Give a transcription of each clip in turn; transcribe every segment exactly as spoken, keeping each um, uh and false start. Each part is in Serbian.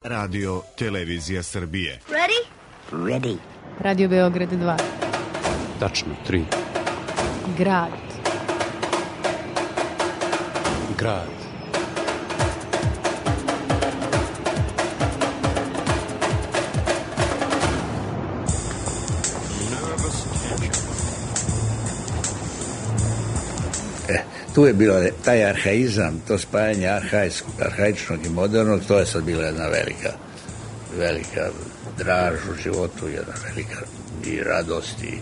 Radio Televizija Srbije. Ready? Ready. Radio Beograd dva. Tačno tri. Grad. Grad. E, tu je bilo taj arhaizam, to spajanje arhaičnog i modernog, to je sad bila jedna velika, velika draž u životu, jedna velika i radost i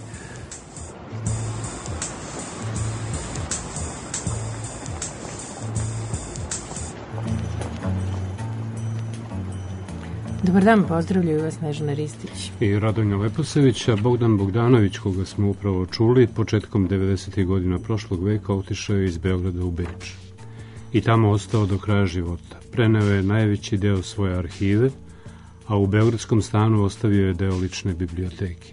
Dobar dan, pozdravljaju vas Snežana Ristić i Radonja Leposević, a Bogdan Bogdanović, koga smo upravo čuli, početkom devedesetih godina prošlog veka otišao je iz Beograda u Beč i tamo ostao do kraja života. Preneo je najveći deo svoje arhive, a u beogradskom stanu ostavio je deo lične biblioteke.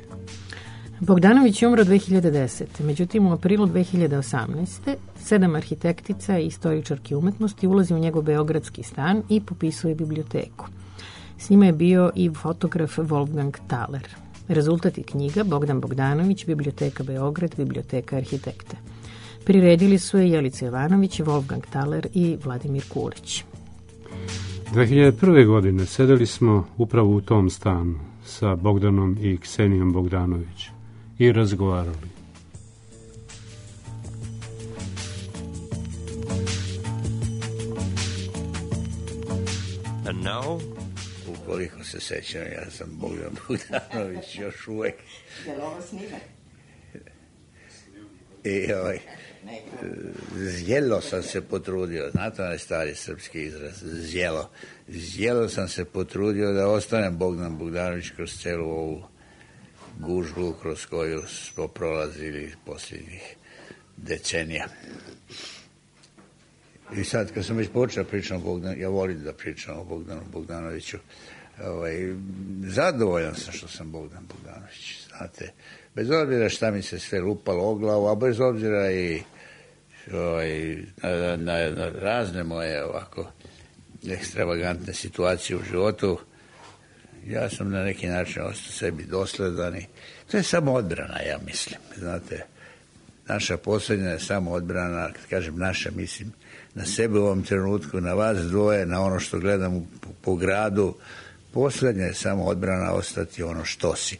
Bogdanović je umro dve hiljade desete. Međutim, u aprilu dve hiljade osamnaeste. sedam arhitektica i istoričarki umetnosti ulazi u njegov beogradski stan i popisuje biblioteku. S njima je bio i fotograf Wolfgang Thaler. Rezultat je knjiga Bogdan Bogdanović, Biblioteka Beograd, Biblioteka arhitekte. Priredili su je Jelica Jovanović, Wolfgang Thaler i Vladimir Kulić. dve hiljade prve. godine sedeli smo upravo u tom stanu sa Bogdanom i Ksenijom Bogdanović i razgovarali. And now, ukoliko se sećam, ja sam Bogdan Bogdanović još uvek. Je li ovo snime? I ovaj, zjelo sam se potrudio, znate onaj stari srpski izraz, zjelo. Zjelo sam se potrudio da ostanem Bogdan Bogdanović kroz celu ovu gužbu kroz koju smo prolazili posljednjih decenija. I sad, kad sam već počeo pričam o Bogdanu, ja volim da pričam o Bogdanu Bogdanoviću, ovaj, zadovoljan sam što sam Bogdan Bogdanović, znate, bez obzira šta mi se sve lupalo o glavu, a bez obzira i ovaj, na, na, na razne moje ovako ekstravagantne situacije u životu, ja sam na neki način ostao sebi dosledan i to je samo odbrana, ja mislim, znate, naša posljednja je samo odbrana, kad kažem naša, mislim na sebe u ovom trenutku, na vas dvoje, na ono što gledam po, po gradu, posljednja je samo odbrana ostati ono što si.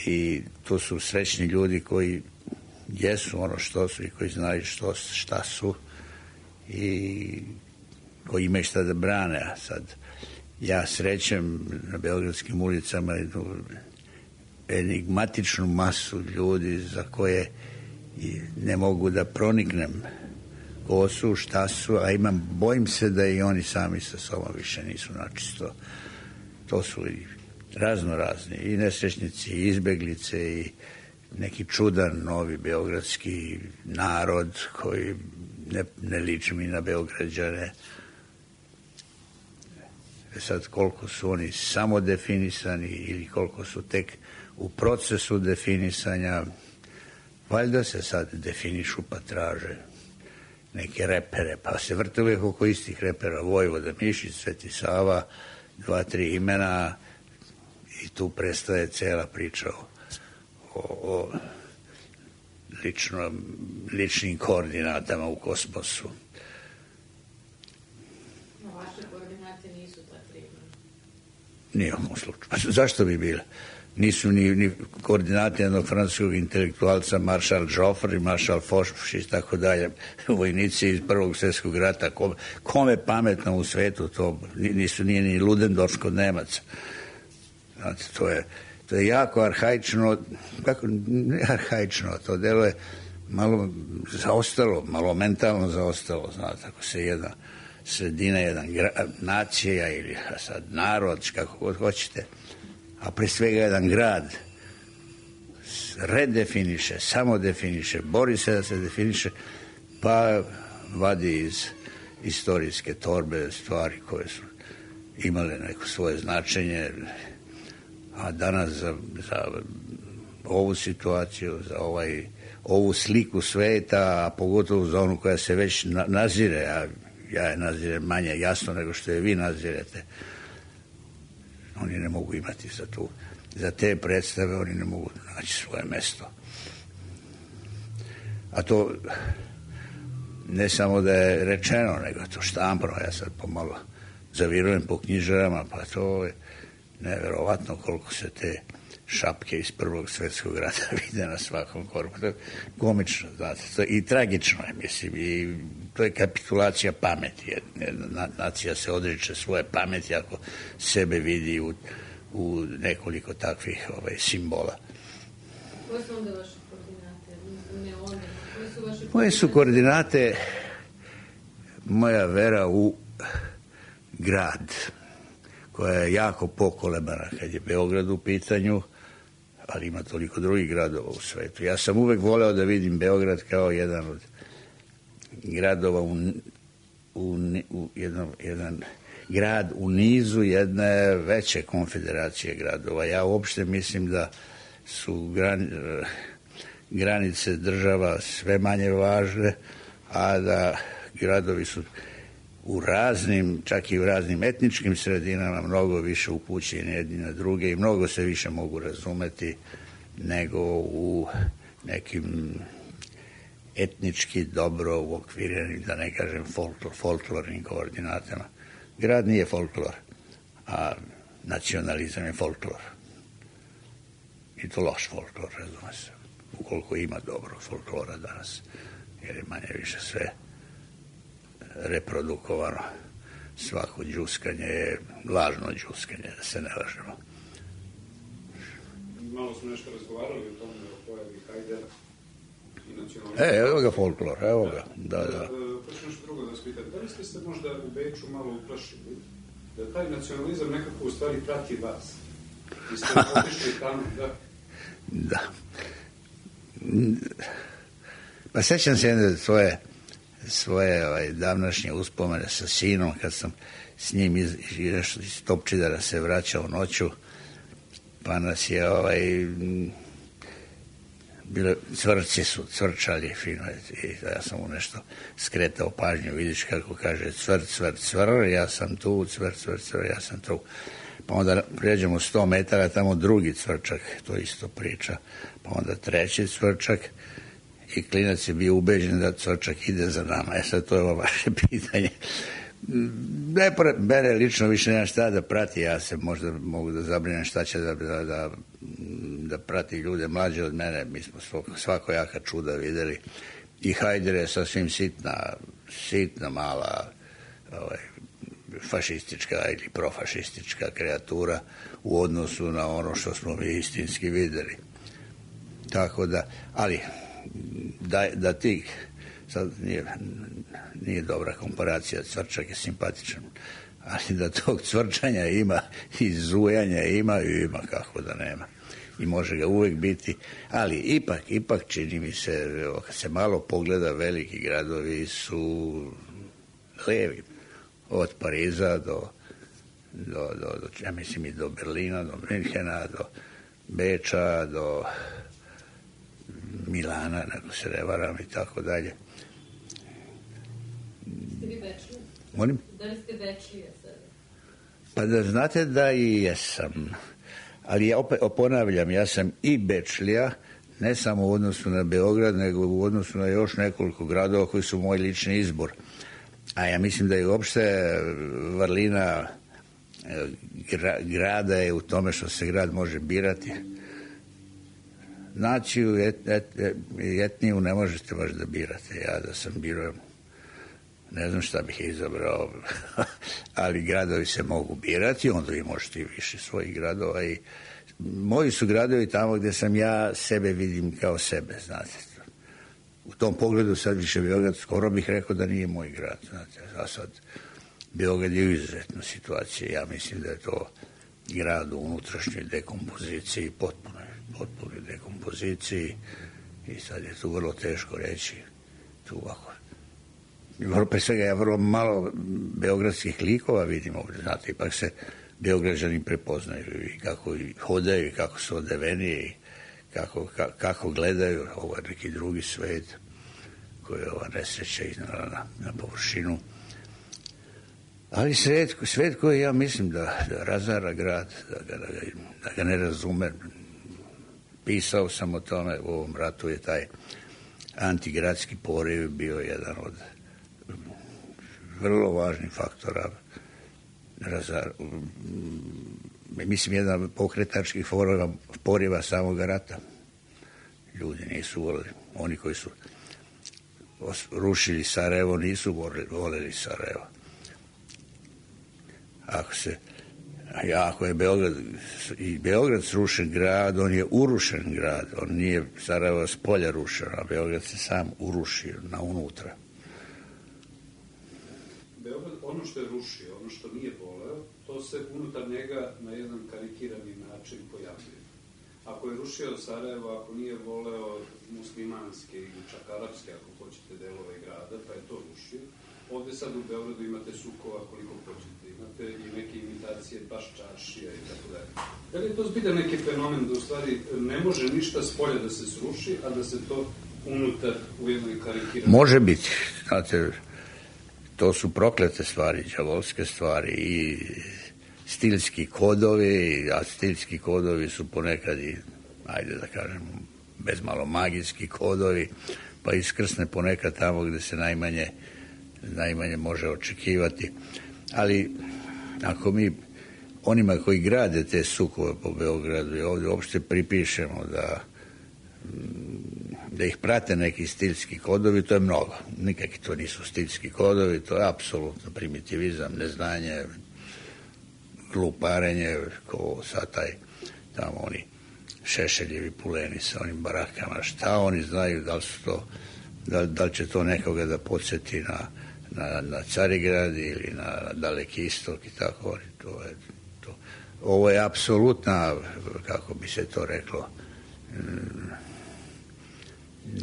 I to su srećni ljudi koji jesu ono što su i koji znaju što, šta su i koji imaju šta da brane. A sad ja srećem na beogradskim ulicama jednu enigmatičnu masu ljudi za koje ne mogu da proniknem ko su, šta su, a imam, bojim se da i oni sami sa sobom više nisu načisto. To su i razno razni, i nesrećnici, i izbeglice, i neki čudan novi beogradski narod koji ne, ne liči mi na Beograđane. Sad, koliko su oni samodefinisani ili koliko su tek u procesu definisanja, valjda se sad definišu pa traže neke repere, pa se vrte uvijek oko istih repera, Vojvoda Mišić, Sveti Sava, dva, tri imena i tu prestaje cela priča o, o, o lično, ličnim koordinatama u kosmosu. No, vaše koordinate nisu ta tri imena. Nije u mom slučaju. Zašto bi bile? Nisu ni, ni koordinati jednog francuskog intelektualca, maršal Joffre, maršal Foch i tako dalje, vojnici iz Prvog svjetskog rata. Kome, kome pametno u svetu to nisu, nije ni Ludendorff kod Nemaca. Znate, to je, to je jako arhaično, kako, ne arhaično, to delo je malo zaostalo, malo mentalno zaostalo, znate, ako se jedna sredina, jedan gra, nacija ili sad narod, kako god hoćete, a pre svega jedan grad redefiniše, samo definiše, bori se da se definiše, pa vadi iz istorijske torbe stvari koje su imale neko svoje značenje, a danas za, za ovu situaciju, za ovaj, ovu sliku sveta, a pogotovo za onu koja se već na, nazire, a ja je nazirem manje jasno nego što je vi nazirete. Oni ne mogu imati za tu, za te predstave, oni ne mogu naći svoje mesto. A to ne samo da je rečeno, nego to štampano. Ja sad pomalo zavirujem po knjižarama, pa to je neverovatno koliko se te šapke iz Prvog svjetskog rata vide na svakom korpu. To je komično, znate, to je i tragično je, mislim, i to je kapitulacija pameti. Jedna nacija se odriče svoje pameti ako sebe vidi u, u nekoliko takvih ovaj, simbola. Koje su onda vaše koordinate? Ne onda, koje su vaše Moje su koordinate moja vera u grad, koja je jako pokolebana kad je Beograd u pitanju, ali ima toliko drugih gradova u svetu. Ja sam uvek voleo da vidim Beograd kao jedan od gradova u, u, u jedan, jedan grad u nizu jedne veće konfederacije gradova. Ja uopšte mislim da su gran, granice država sve manje važne, a da gradovi su u raznim, čak i u raznim etničkim sredinama mnogo više upućeni jedni na druge i mnogo se više mogu razumeti nego u nekim etnički dobro uokvirenim, da ne kažem folklor, folklornim koordinatama. Grad nije folklor, a nacionalizam je folklor. I to loš folklor, razume se. Ukoliko ima dobro folklora danas, jer je manje više sve reprodukovano. Svako džuskanje je lažno džuskanje, da se ne lažemo. Malo smo nešto razgovarali o tome, o pojavi Hajdera i nacionalizmu. E, evo ga folklor, evo ga, da, da. Pa ću nešto drugo da vas pitam. Da li ste se možda u Beču malo uplašili da taj nacionalizam nekako u stvari prati vas? Vi ste otišli tamo, da? Da. Pa sećam se jedne svoje svoje ovaj, davnašnje uspomene sa sinom, kad sam s njim iz, iz, iz Topčidara se vraćao noću, pa nas je ovaj, bile, cvrci su cvrčali fino i ja sam mu nešto skretao pažnju, vidiš kako kaže cvrt, cvrt, cvr, ja sam tu, cvrt, cvrt, cvr, ja sam tu. Pa onda prijeđemo sto metara, tamo drugi cvrčak, to isto priča, pa onda treći cvrčak, i klinac je bio ubeđen da cvrčak ide za nama. E sad, to je ovo vaše pitanje. Ne, mene lično više nema šta da prati, ja se možda mogu da zabrinem šta će da, da, da, da prati ljude mlađe od mene. Mi smo svakojaka čuda videli. I Hajder je sasvim sitna, sitna mala ovaj, fašistička ili profašistička kreatura u odnosu na ono što smo mi istinski videli. Tako da, ali da, da ti, sad nije, nije dobra komparacija, cvrčak je simpatičan, ali da tog cvrčanja ima i zujanja ima i ima kako da nema. I može ga uvek biti, ali ipak, ipak čini mi se, kad se malo pogleda, veliki gradovi su levi. Od Pariza do, do, do, do, ja mislim i do Berlina, do Minhena, do Beča, do Milana, nego se ne varam i tako dalje. Ste vi Bečlija? Molim? Da li ste Bečlija sada? Pa da znate da i jesam. Ali ja opet ponavljam, ja sam i Bečlija, ne samo u odnosu na Beograd, nego u odnosu na još nekoliko gradova koji su moj lični izbor. A ja mislim da je uopšte vrlina gra, grada je u tome što se grad može birati. Naciju, et, et, et, etniju ne možete baš da birate. Ja da sam birao, ne znam šta bih izabrao, ali gradovi se mogu birati, onda vi možete i više svojih gradova. I moji su gradovi tamo gde sam ja sebe vidim kao sebe, znate. U tom pogledu sad više Beograd, skoro bih rekao da nije moj grad, znate, a sad Beograd je u izuzetnoj situaciji. Ja mislim da je to grad u unutrašnjoj dekompoziciji, potpunoj, potpunoj dekompoziciji i sad je tu vrlo teško reći tu ovako. Pre svega ja vrlo malo beogradskih likova vidim ovdje, znate, ipak se Beograđani prepoznaju i kako hodaju i kako su odeveni i Kako, ka, kako gledaju ovo neki drugi svet koji je ova nesreća iznala na, na površinu. Ali svet, svet koji ja mislim da, da razara grad, da ga, da, ga, da ga ne razume. Pisao sam o tome, u ovom ratu je taj antigradski poriv bio jedan od vrlo važnih faktora razar, mislim jedan pokretačkih poriva, poriva samog rata. Ljudi nisu volili, oni koji su rušili Sarajevo nisu volili, volili Sarajevo. Ako se ako je Beograd i Beograd srušen grad, on je urušen grad, on nije Sarajevo s polja rušen, a Beograd se sam urušio na unutra. Beograd, ono što je rušio, ono što nije voleo, to se unutar njega na jedan karikirani način pojavljuje. Ako je rušio Sarajevo, ako nije voleo muslimanske ili čak arapske, ako hoćete, delove grada, pa je to rušio. Ovde sad u Beogradu imate sukova koliko hoćete, imate i neke imitacije baš čaršija i tako dalje. Da li je to zbilja neki fenomen da u stvari ne može ništa s polja da se sruši, a da se to unutar u jednoj karikirani... Može biti, znate, to su proklete stvari, đavolske stvari i stilski kodovi, a stilski kodovi su ponekad i, ajde da kažem, bez malo magijski kodovi, pa iskrsne ponekad tamo gde se najmanje, najmanje može očekivati. Ali ako mi onima koji grade te sukove po Beogradu i ovdje uopšte pripišemo da da ih prate neki stilski kodovi, to je mnogo. Nikakvi to nisu stilski kodovi, to je apsolutno primitivizam, neznanje, gluparenje, ko sad taj, tamo oni Šešeljevi puleni sa onim barakama, šta oni znaju, da li su to, da, da li će to nekoga da podsjeti na, na, na Carigrad ili na Daleki istok i tako, to je, to. Ovo je apsolutna, kako bi se to reklo,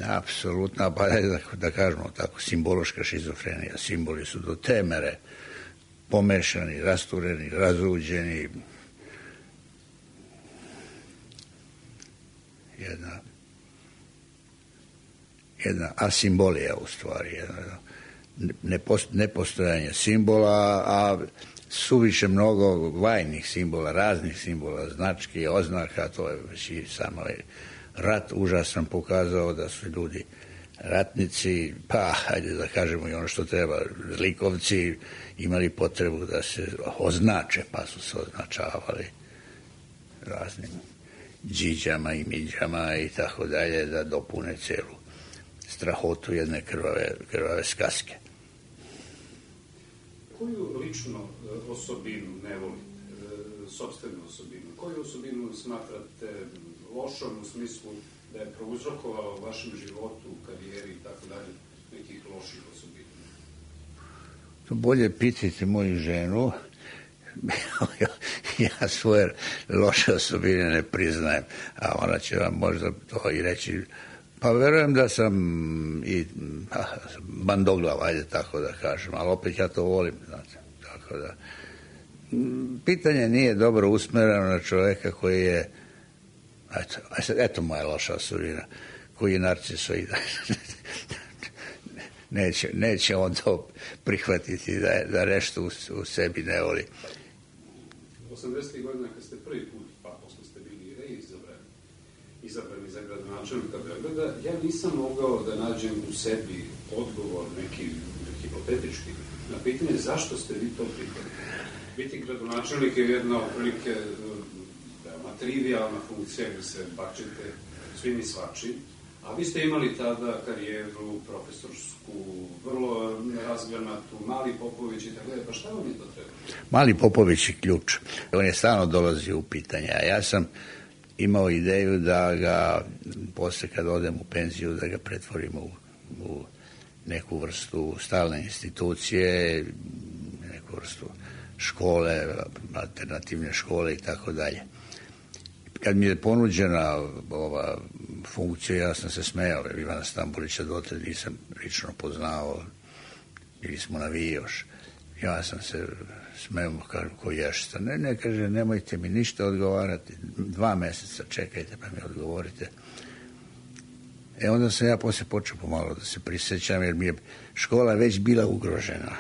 apsolutna, pa da, da kažemo tako, simbološka šizofrenija. Simboli su do te mere pomešani, rastureni, razuđeni. Jedna jedna asimbolija u stvari, jedna nepost, nepostojanje simbola, a suviše mnogo vajnih simbola, raznih simbola, znački, oznaka, to je već i samo rat užasno pokazao da su ljudi ratnici, pa hajde da kažemo i ono što treba, zlikovci imali potrebu da se označe, pa su se označavali raznim džiđama i miđama i tako dalje, da dopune celu strahotu jedne krvave, krvave skaske. Koju lično osobinu ne volite, sopstvenu osobinu? Koju osobinu smatrate lošom u smislu da je prouzrokovala u vašem životu, karijeri i tako dalje nekih loših osobina? To bolje pitajte moju ženu. Ja svoje loše osobine ne priznajem, a ona će vam možda to i reći. Pa verujem da sam i bandoglav, ajde tako da kažem, ali opet ja to volim, znate, tako da. Pitanje nije dobro usmereno na čoveka koji je, eto, eto moja loša osobina, koji je narcisoida. neće, neće on to prihvatiti da, da nešto u, u sebi ne voli. osamdesetih godina kad ste prvi put, pa posle ste bili reizabrani, izabrani za gradonačelnika Beograda, ja nisam mogao da nađem u sebi odgovor neki hipotetički na pitanje zašto ste vi to prihvatili. Biti gradonačelnik je jedna otprilike veoma trivijalna funkcija gde se bakćete svim i svačim, a vi ste imali tada karijeru profesorsku, vrlo razgranatu, Mali Popović i tako dalje, pa šta vam je to treba? Mali Popović je ključ. On je stalno dolazio u pitanje, a ja sam imao ideju da ga, posle kad odem u penziju, da ga pretvorimo u, u neku vrstu stalne institucije, neku vrstu škole, alternativne škole i tako dalje. Kad mi je ponuđena ova funkcija, ja sam se smejao, jer Ivana Stambolića dotle nisam lično poznao, bili smo na Vijoš. Ja sam se smejao, kažem, ko ješta. Ne, ne, kaže, nemojte mi ništa odgovarati, dva meseca čekajte pa mi odgovorite. E onda sam ja posle počeo pomalo da se prisjećam, jer mi je škola već bila ugrožena.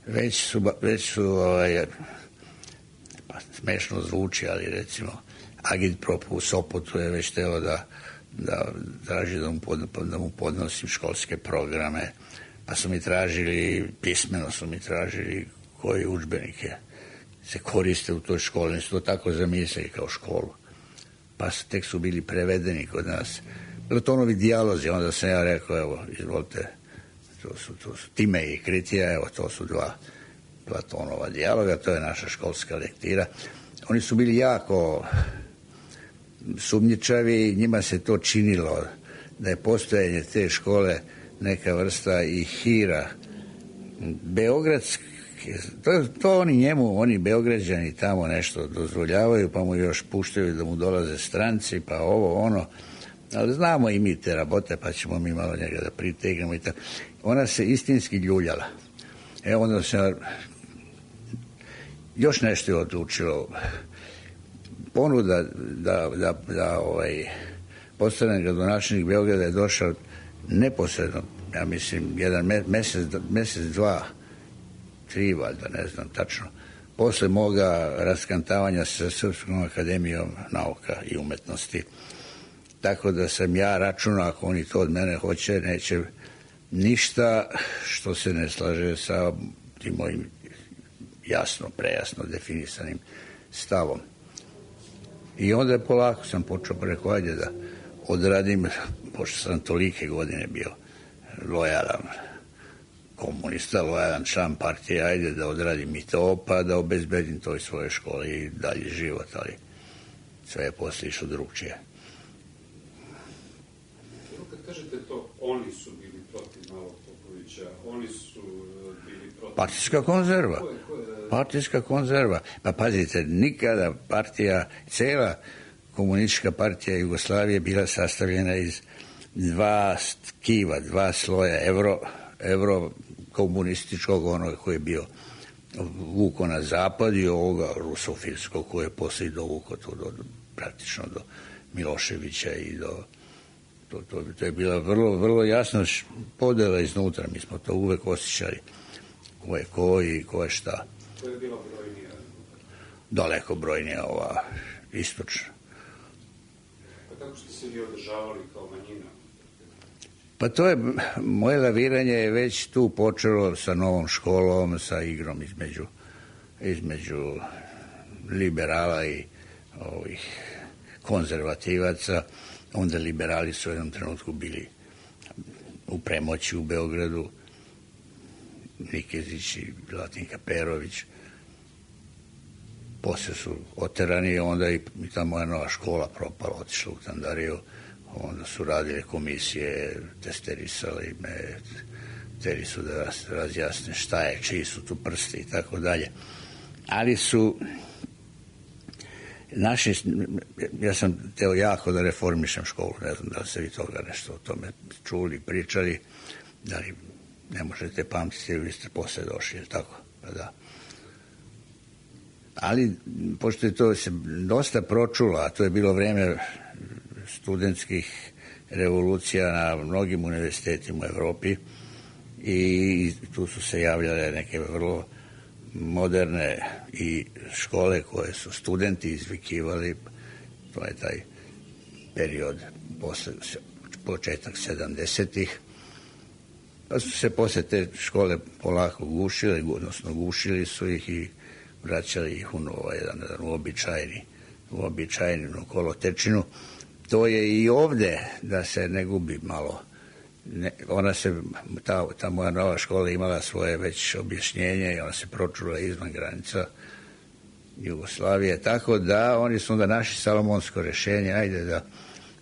već su, već su ovaj, pa smešno zvuči, ali recimo Agitprop u Sopotu je već telo da, da traži da mu, pod, da mu podnosim školske programe, pa su mi tražili, pismeno su mi tražili koji udžbenike se koriste u toj školi, oni su to tako zamislili kao školu, pa su, tek su bili prevedeni kod nas. Platonovi dijalozi, onda sam ja rekao, evo, izvolite, to su, to su Time i Kritija, evo, to su dva Platonova dijaloga, to je naša školska lektira. Oni su bili jako sumnjičavi, njima se to činilo da je postojanje te škole neka vrsta i hira beogradski. To, to oni njemu, oni Beograđani tamo nešto dozvoljavaju, pa mu još puštaju da mu dolaze stranci, pa ovo, ono. Ali znamo i mi te rabote, pa ćemo mi malo njega da pritegnemo i tako. Ona se istinski ljuljala. Evo onda se još nešto je odlučilo. Ponuda da, da, da ovaj, postane gradonačelnik Beograda je došao neposredno, ja mislim, jedan mesec, mesec dva, tri, valjda, ne znam tačno, posle moga raskantavanja sa Srpskom akademijom nauka i umetnosti. Tako da sam ja računao, ako oni to od mene hoće, neće ništa što se ne slaže sa tim mojim jasno, prejasno definisanim stavom. I onda je polako sam počeo preko, ajde da odradim, pošto sam tolike godine bio lojalan komunista, lojalan član partije, ajde da odradim i to, pa da obezbedim toj svoje škole i dalje život, ali sve je posle išlo drugčije. Kad kažete to, oni su bili protiv Malog Popovića, oni su bili protiv... Partijska konzerva. Ko je, ko je... Partijska konzerva. Pa pazite, nikada partija, cela komunistička partija Jugoslavije bila sastavljena iz dva tkiva, dva sloja, evro, evro komunističkog, onoga koji je bio vuko na zapad i ovoga rusofilskog koji je posle dovuko to do, do, praktično do Miloševića i do to, to, to je bila vrlo, vrlo jasna podela iznutra, mi smo to uvek osjećali ko je ko i ko je šta. To je bila brojnija? Daleko brojnija ova istočna. Pa kako ste se vi održavali kao manjina? Pa to je, moje laviranje je već tu počelo sa novom školom, sa igrom između, između liberala i ovih konzervativaca. Onda liberali su u jednom trenutku bili u premoći u Beogradu, Nikezić i Latinka Perović. Posle su oterani, onda i ta moja nova škola propala, otišla u Tandariju. Onda su radile komisije, testerisali me, hteli su da razjasne šta je, čiji su tu prsti i tako dalje. Ali su naši, ja sam teo jako da reformišem školu, ne znam da li ste vi toga nešto o tome čuli, pričali, da li ne možete pamtiti, vi ste posle došli, ili tako, pa da. Ali, pošto je to se dosta pročulo, a to je bilo vreme studentskih revolucija na mnogim univerzitetima u Evropi i tu su se javljale neke vrlo moderne i škole koje su studenti izvikivali, to je taj period posle, početak sedamdesetih, pa su se posle te škole polako gušile, odnosno gušili su ih i vraćali ih u novo, jedan, jedan uobičajeni, uobičajenu kolotečinu. To je i ovde, da se ne gubi malo. Ne, ona se, ta, ta moja nova škola imala svoje već objašnjenje i ona se pročula izvan granica Jugoslavije, tako da oni su onda našli salomonsko rešenje, ajde da,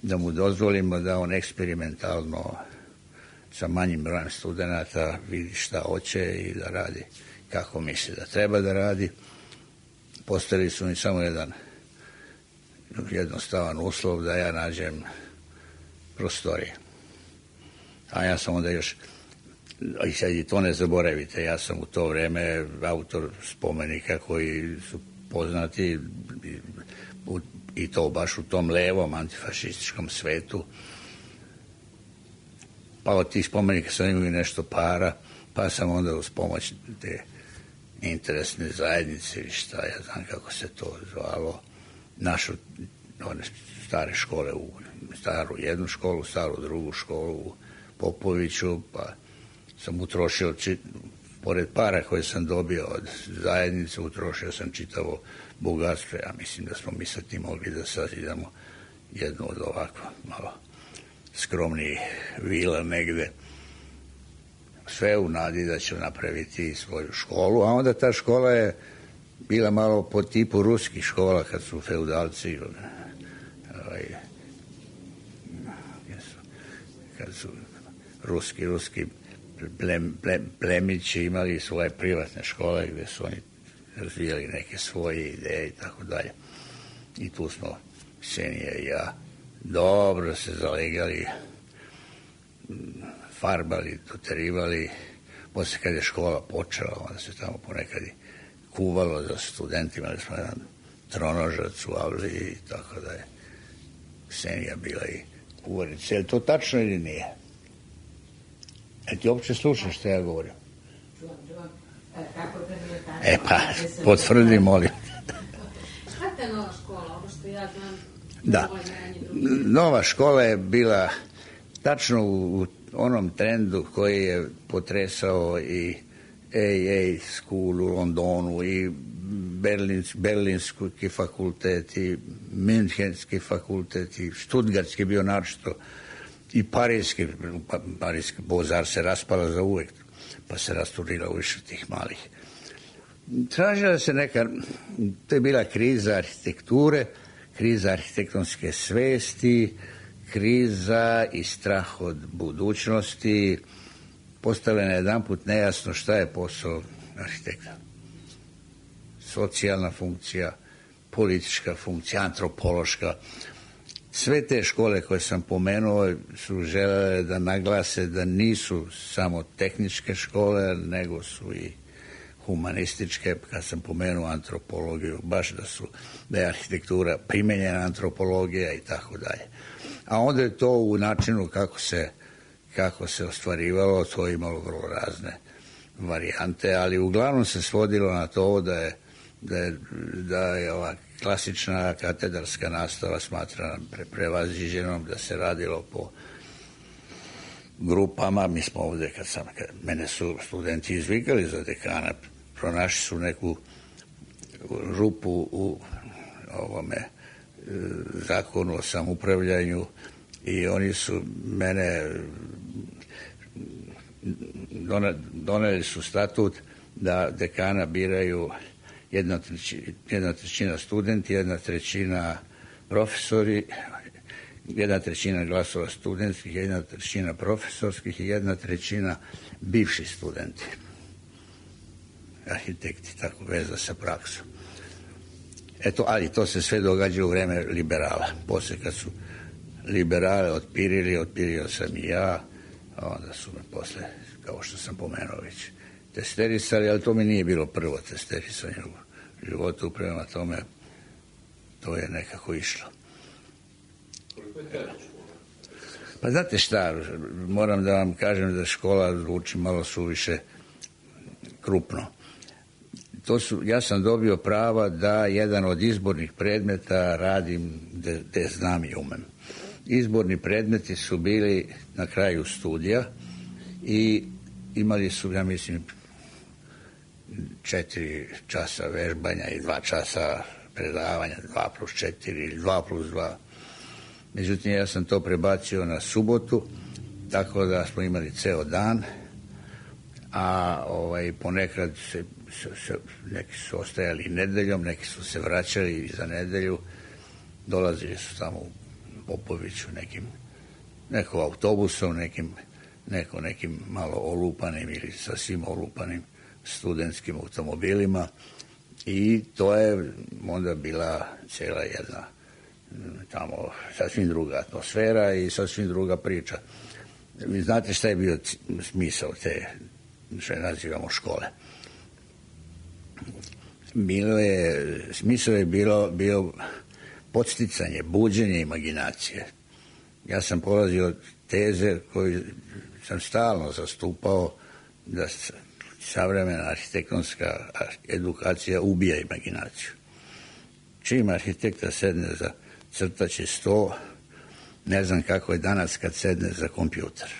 da mu dozvolimo da on eksperimentalno sa manjim brojem studenta vidi šta hoće i da radi kako misli da treba da radi. Postavili su mi samo jedan jednostavan uslov da ja nađem prostorije. A ja sam onda još, i sad i to ne zaboravite, ja sam u to vreme autor spomenika koji su poznati i to baš u tom levom antifašističkom svetu. Pa od tih spomenika sam imao nešto para, pa sam onda uz pomoć te interesne zajednice ili šta, ja znam kako se to zvalo, našu, one stare škole, u staru jednu školu, staru drugu školu u Popoviću, pa sam utrošio, pored para koje sam dobio od zajednice, utrošio sam čitavo bogatstvo. Ja mislim da smo mi sa tim mogli da sazidamo jednu od ovako malo skromnijih vila negde. Sve u nadi da ću napraviti svoju školu, a onda ta škola je bila malo po tipu ruskih škola, kad su feudalci ovaj, kad su ruski, ruski plem, plem, plemići imali svoje privatne škole gde su oni razvijali neke svoje ideje i tako dalje. I tu smo, Ksenija i ja, dobro se zalegali, farbali, doterivali. Posle kad je škola počela, onda se tamo ponekad kuvalo za studentima, da smo jedan tronožac u avli i tako da je Ksenija bila i kuvarica. Je li to tačno ili nije? E ti uopće slušaš što ja govorim? Čuvam, čuvam. Kako to nije tačno? E pa, potvrdi, molim. Šta je nova škola, ovo što ja znam? Da, nova škola je bila tačno u onom trendu koji je potresao i A A School u Londonu i Berlins, Berlinski fakultet i Münchenski fakultet i Stuttgartski bio naročito i Parijski, Parijski Bozar se raspala za uvek, pa se rasturila u više tih malih. Tražila se neka, to je bila kriza arhitekture, kriza arhitektonske svesti, kriza i strah od budućnosti. Postalo je na jedan put nejasno šta je posao arhitekta. Socijalna funkcija, politička funkcija, antropološka. Sve te škole koje sam pomenuo su želele da naglase da nisu samo tehničke škole, nego su i humanističke. Kad sam pomenuo antropologiju, baš da su, da je arhitektura primenjena antropologija i tako dalje. A onda je to u načinu kako se, kako se ostvarivalo, to je imalo vrlo razne varijante, ali uglavnom se svodilo na to da je, da je, da je ova klasična katedarska nastava smatrana pre, prevaziđenom, da se radilo po grupama. Mi smo ovde, kad sam, kad mene su studenti izvikali za dekana, pronašli su neku rupu u ovome zakonu o samoupravljanju i oni su mene doneli su statut da dekana biraju jedna trećina, jedna trećina studenti, jedna trećina profesori, jedna trećina glasova studentskih, jedna trećina profesorskih i jedna trećina bivši studenti. Arhitekti, tako veza sa praksom. Eto, ali to se sve događa u vreme liberala. Posle kad su liberale otpirili, otpirio sam i ja, a onda su me posle, kao što sam pomenuo već, testerisali, ali to mi nije bilo prvo testerisanje u životu, prema tome to je nekako išlo. Pa znate šta, moram da vam kažem da škola zvuči malo suviše krupno. To su, ja sam dobio prava da jedan od izbornih predmeta radim de, de znam i umem. Izborni predmeti su bili na kraju studija i imali su, ja mislim, četiri časa vežbanja i dva časa predavanja, dva plus četiri ili dva plus dva. Međutim, ja sam to prebacio na subotu, tako da smo imali ceo dan, a ovaj, ponekad se, se, se, neki su ostajali nedeljom, neki su se vraćali za nedelju, dolazili su tamo u Popoviću nekim, neko autobusom, nekim, neko nekim malo olupanim ili sasvim olupanim studentskim automobilima i to je onda bila cijela jedna tamo sasvim druga atmosfera i sasvim druga priča. Vi znate šta je bio smisao te, što je nazivamo škole. Bilo je, smisao je bilo, bio podsticanje, buđenje imaginacije. Ja sam polazio od teze koju sam stalno zastupao, da savremena arhitektonska edukacija ubija imaginaciju. Čim arhitekta sedne za crtaći sto, ne znam kako je danas kad sedne za kompjuter.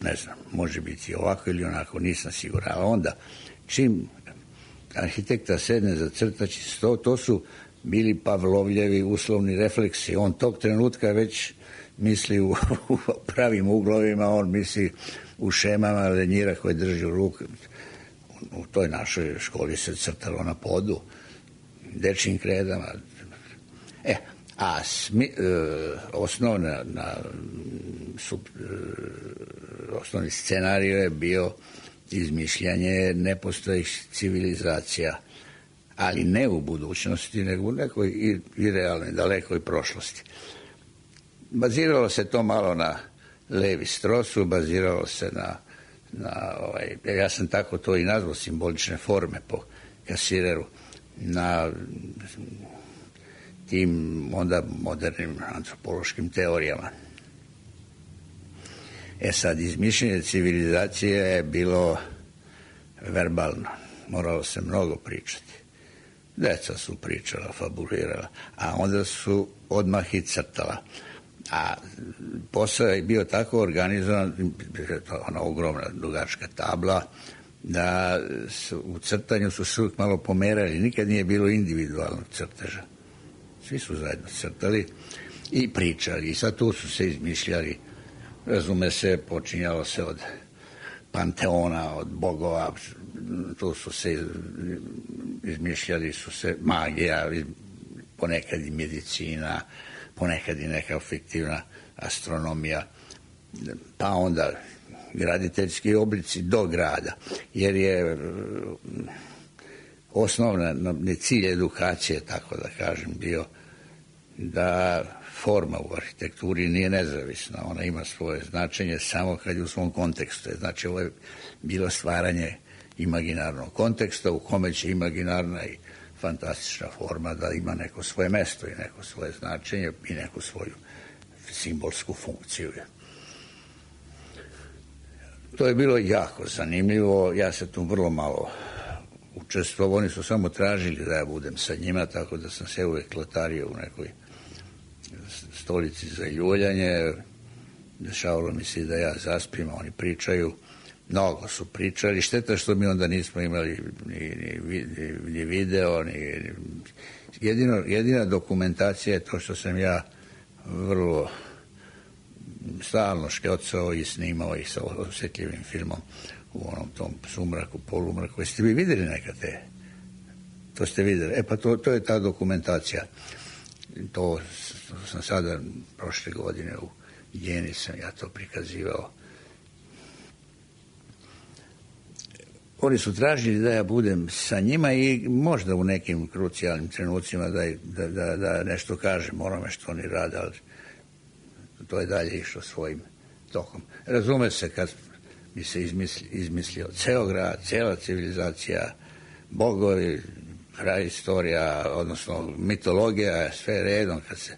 Ne znam, može biti ovako ili onako, nisam siguran. A onda, čim arhitekta sedne za crtaći sto, to su bili Pavlovljevi uslovni refleksi. On tog trenutka već misli u, u pravim uglovima, on misli u šemama lenjira koje drži u ruku. U toj našoj školi se crtalo na podu, dečjim kredama. E, a smi, e, osnovna, na, sub, e, osnovni scenarij je bio izmišljanje nepostojih civilizacija, ali ne u budućnosti, nego u nekoj i, i realnoj, dalekoj prošlosti. Baziralo se to malo na Levi Strosu, baziralo se na, na ovaj, ja sam tako to i nazvao, simbolične forme po Kasireru, na tim onda modernim antropološkim teorijama. E sad, izmišljenje civilizacije je bilo verbalno. Moralo se mnogo pričati. Deca su pričala, fabulirala, a onda su odmah i crtala. A posao je bio tako organizovan, ona ogromna dugačka tabla, da su, u crtanju su se uvijek malo pomerali. Nikad nije bilo individualnog crteža. Svi su zajedno crtali i pričali. I sad tu su se izmišljali, razume se, počinjalo se od panteona, od bogova, tu su se izmišljali su se magija, ponekad i medicina, ponekad i neka fiktivna astronomija, pa onda graditeljski oblici do grada, jer je osnovna cilj edukacije, tako da kažem, bio da forma u arhitekturi nije nezavisna, ona ima svoje značenje samo kad je u svom kontekstu. Znači, ovo je bilo stvaranje imaginarnog konteksta u kome će imaginarna i fantastična forma da ima neko svoje mesto i neko svoje značenje i neku svoju simbolsku funkciju. To je bilo jako zanimljivo, ja se tu vrlo malo učestvovao, oni su samo tražili da ja budem sa njima, tako da sam se uvek lotario u nekoj stolici za ljuljanje, dešavalo mi se da ja zaspim, oni pričaju, mnogo su pričali, šteta što mi onda nismo imali ni, ni, ni video, ni, jedino, jedina dokumentacija je to što sam ja vrlo stalno škjocao i snimao i sa osjetljivim filmom u onom tom sumraku, polumraku. Jeste vi vidjeli nekad te? To ste vidjeli. E pa to, to je ta dokumentacija. To, to sam sada prošle godine u Jeni sam ja to prikazivao. Oni su tražili da ja budem sa njima i možda u nekim krucijalnim trenucima da, da, da, da nešto kažem onome što oni rade, ali to je dalje išlo svojim tokom. Razume se kad bi se izmislio, izmislio ceo grad, cijela civilizacija, bogovi, kraj istorija, odnosno mitologija, sve redom, kad se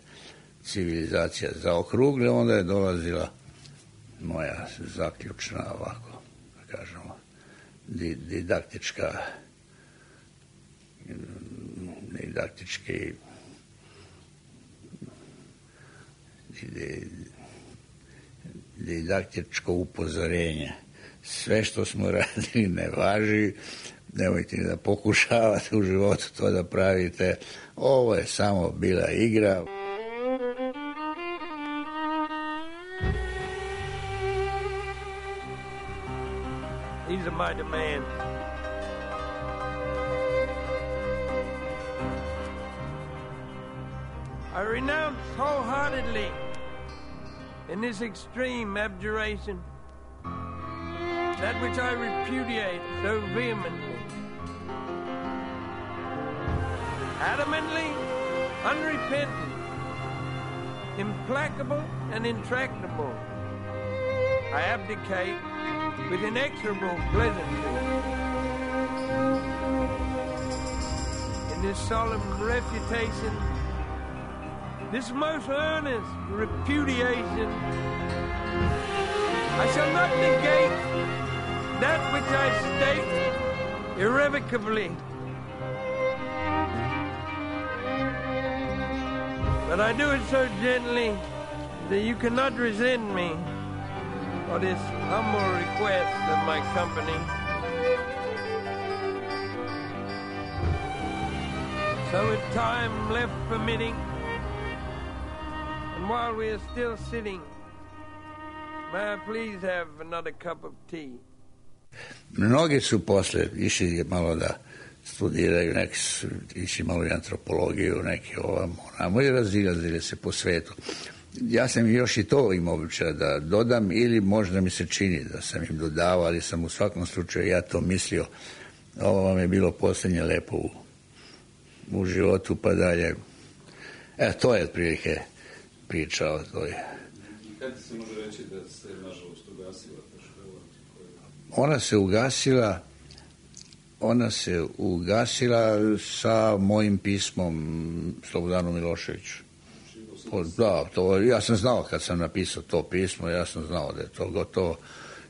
civilizacija zaokrugle, onda je dolazila moja zaključna, ovako, da kažemo, didaktička, didaktički didaktičko upozorenje. Sve što smo radili ne važi, nemojte da pokušavate u životu to da pravite. Ovo je samo bila igra. He's a mighty man. I renounce wholeheartedly in this extreme abjuration that which I repudiate so vehemently, adamantly, unrepentant, implacable and intractable. I abdicate with inexorable pleasantry. In this solemn refutation, this most earnest repudiation, I shall not negate that which I state irrevocably. But I do it so gently that you cannot resent me for this humble request of my company. So with time left permitting, and while we are still sitting, may I please have another cup of tea? Mnogi su posle išli malo da studiraju, neki su išli malo i antropologiju, neki ovamo, namo i razilazili se po svetu. Ja sam još i to imao običaj da dodam, ili možda mi se čini da sam im dodavao, ali sam u svakom slučaju ja to mislio. Ovo vam je bilo posljednje lepo u, u životu, pa dalje. E, to je otprilike priča o toj. Kad se može reći da se nažalost ugasila ta škola? Ona se ugasila ona se ugasila sa mojim pismom Slobodanu Miloševiću. Da, to, ja sam znao kad sam napisao to pismo, ja sam znao da je to gotovo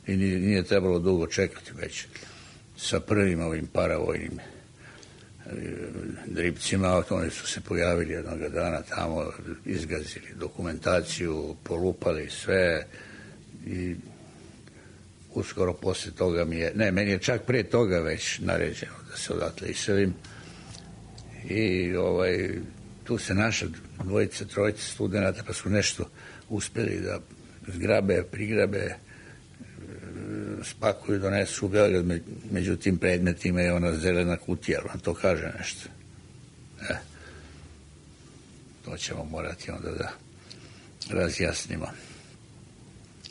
i nije, nije trebalo dugo čekati već sa prvim ovim paravojnim dripcima. Oni su se pojavili jednog dana tamo, izgazili dokumentaciju, polupali sve i uskoro posle toga mi je, ne, meni je čak pre toga već naređeno da se odatle iselim i ovaj, tu se naša dvojica, trojica studenata pa su nešto uspeli da zgrabe, prigrabe, spakuju, donesu u Beograd, među tim predmetima je ona zelena kutija, vam to kaže nešto. E, to ćemo morati onda da razjasnimo.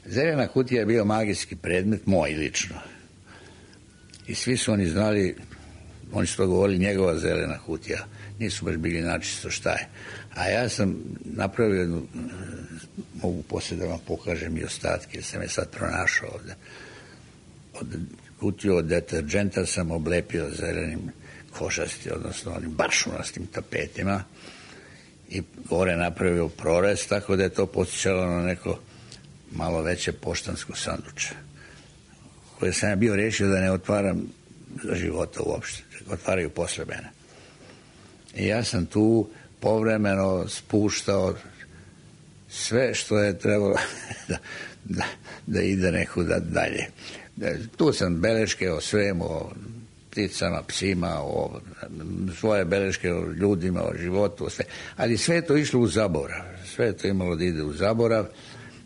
Zelena kutija je bio magijski predmet, moj lično. I svi su oni znali, oni su to govorili, njegova zelena kutija. Nisu baš bili načisto šta je. A ja sam napravio jednu, mogu poslije da vam pokažem i ostatke, jer sam je sad pronašao ovde. Od kutiju od deterđenta sam oblepio zelenim košasti, odnosno onim baršunastim tapetima i gore napravio prorez, tako da je to podsjećalo na neko malo veće poštansko sanduče, koje sam ja bio rešio da ne otvaram za života uopšte, otvaraju posle mene. I ja sam tu povremeno spuštao sve što je trebalo da, da, da ide nekuda dalje. Tu sam beleške o svemu, o pticama, psima, o svoje beleške o ljudima, o životu, o sve. Ali sve je to išlo u zaborav. Sve je to imalo da ide u zaborav.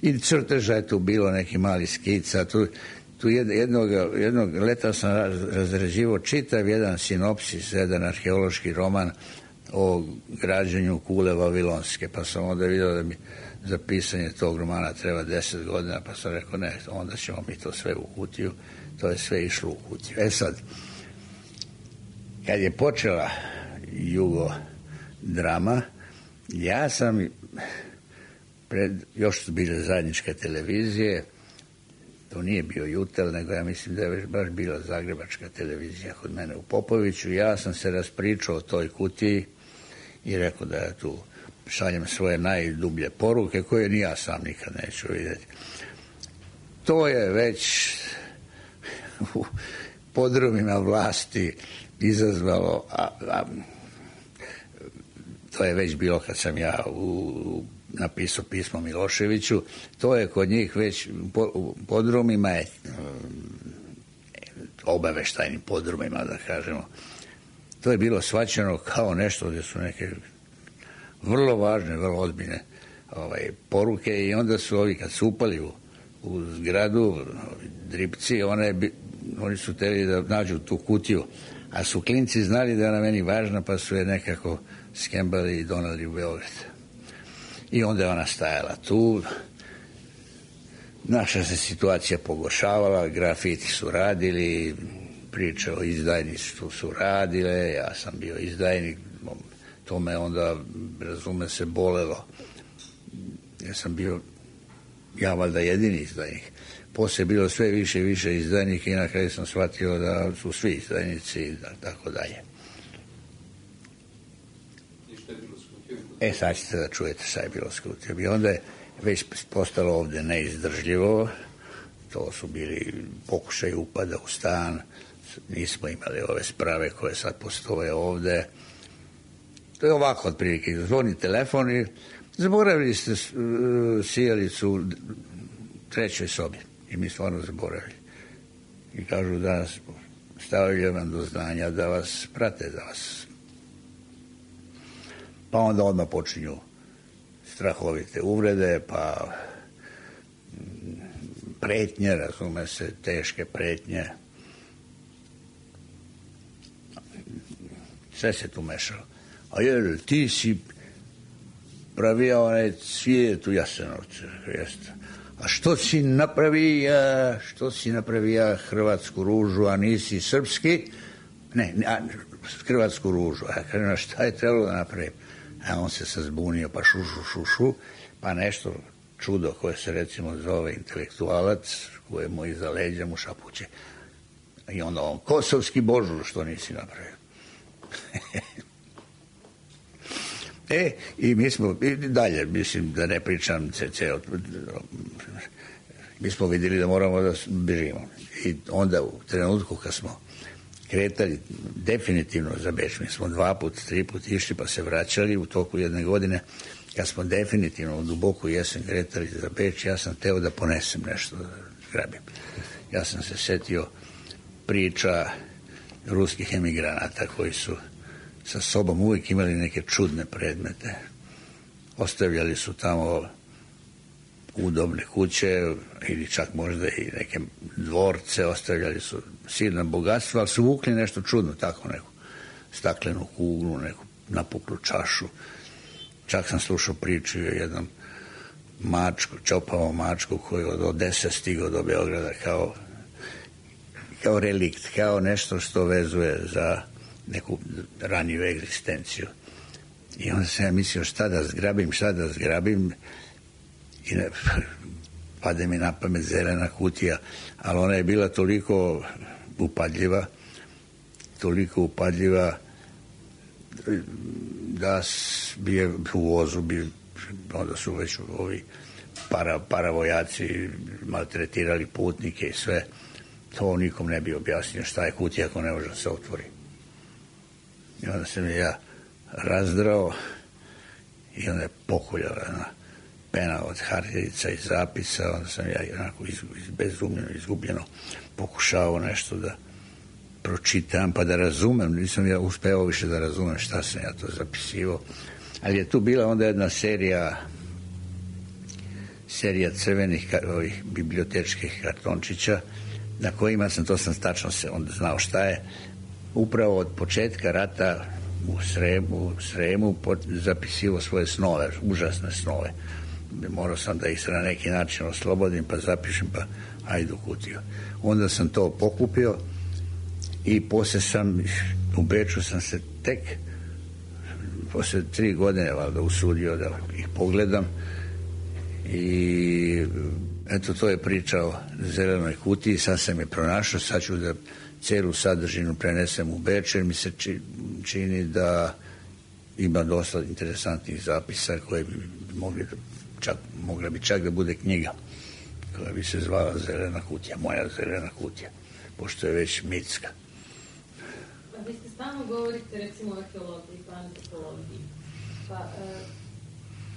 I crteža je tu bilo, neki mali skica. Tu, tu jednog, jednog leta sam razrađivao čitav jedan sinopsis, jedan arheološki roman o građenju kule Vavilonske. Pa sam onda vidio da mi za pisanje tog romana treba deset godina, pa sam rekao ne, onda ćemo mi to sve u kutiju. To je sve išlo u kutiju. E sad, kad je počela jugo drama, ja sam pred, još su bile zajedničke televizije, to nije bio Jutel, nego ja mislim da je baš bila zagrebačka televizija kod mene u Popoviću. Ja sam se raspričao o toj kutiji i rekao da ja tu šaljem svoje najdublje poruke koje ni ja sam nikad neću vidjeti. To je već u podrumima vlasti izazvalo, a, a to je već bilo kad sam ja u, napisao pismo Miloševiću, to je kod njih već u podrumima je obaveštajnim podrumima, da kažemo, to je bilo shvaćeno kao nešto gdje su neke vrlo važne, vrlo ozbiljne ovaj, poruke i onda su ovi kad su upali u, u zgradu dripci, one, oni su teli da nađu tu kutiju, a su klinci znali da je ona meni važna, pa su je nekako skembali i donali u Beograd. I onda je ona stajala tu, naša se situacija pogoršavala, grafiti su radili, priče o izdajništvu su radile, ja sam bio izdajnik, to me onda, razume se, bolelo. Ja sam bio, ja valjda jedini izdajnik. Poslije je bilo sve više i više izdajnika i na kraju sam shvatio da su svi izdajnici i da, tako dalje. E, sad ćete da čujete šta je bilo s kutijom. I onda je već postalo ovde neizdržljivo. To su bili pokušaj upada u stan, nismo imali ove sprave koje sad postoje ovde. To je ovako otprilike, zvoni telefon i zaboravili ste sijalicu u trećoj sobi. I mi stvarno zaboravili. I kažu da stavili vam do znanja da vas prate, da vas... Pa onda odmah počinju strahovite uvrede, pa pretnje, razume se, teške pretnje. Sve se tu mešalo. A jer ti si pravio onaj cvijet u Jasenovcu, jeste. A što si napravio, što si napravio hrvatsku ružu, a nisi srpski? Ne, a, hrvatsku ružu. A kažem, šta je trebalo da napravim? A on se sazbunio, pa šu, šu, šu, šu, pa nešto čudo koje se recimo zove intelektualac, koje mu iza leđa mu šapuće. I onda on, kosovski božur, što nisi napravio? E, i mi smo, i dalje, mislim, da ne pričam ceo, mi smo vidjeli da moramo da bežimo. I onda u trenutku kad smo kretali definitivno za Beč, mi smo dva put, tri put išli pa se vraćali u toku jedne godine, kad smo definitivno u duboku jesen kretali za Beč, ja sam teo da ponesem nešto, da grabim. Ja sam se setio priča ruskih emigranata koji su sa sobom uvijek imali neke čudne predmete. Ostavljali su tamo udobne kuće ili čak možda i neke dvorce, ostavljali su silna bogatstva, ali su vukli nešto čudno, tako neku staklenu kuglu, neku napuklu čašu. Čak sam slušao priču o jednom mačku, čopavom mačku koji od Odese stigao do Beograda kao, kao relikt, kao nešto što vezuje za neku raniju egzistenciju. I onda sam ja mislio šta da zgrabim, šta da zgrabim i ne, pade mi na pamet zelena kutija, ali ona je bila toliko upadljiva, toliko upadljiva da bi je u vozu bi, onda su već ovi para, paravojaci maltretirali putnike i sve. To nikom ne bi objasnio šta je kutija ako ne može da se otvori. I onda sam je ja razdrao i onda je pokuljala jedna pena od hartirica i zapisa, onda sam ja onako bezumljeno, izgubljeno pokušao nešto da pročitam pa da razumem, nisam ja uspeo više da razumem šta sam ja to zapisivao, ali je tu bila onda jedna serija serija crvenih ovih bibliotečkih kartončića na kojima sam, to sam tačno se onda znao šta je, upravo od početka rata u Sremu, u Sremu zapisivo svoje snove, užasne snove. Morao sam da ih se na neki način oslobodim, pa zapišem, pa ajde u kutiju. Onda sam to pokupio i poslije sam, u Beču sam se tek poslije tri godine valjda usudio da ih pogledam i eto, to je priča o zelenoj kutiji, sad sam je pronašao, sad ću da celu sadržinu prenesem u Beč, jer mi se čini da ima dosta interesantnih zapisa koje bi mogli čak, mogla bi čak da bude knjiga koja bi se zvala Zelena kutija, moja zelena kutija, pošto je već mitska. A vi ste stalno govorite recimo o arheologiji pa antropologiji, pa e,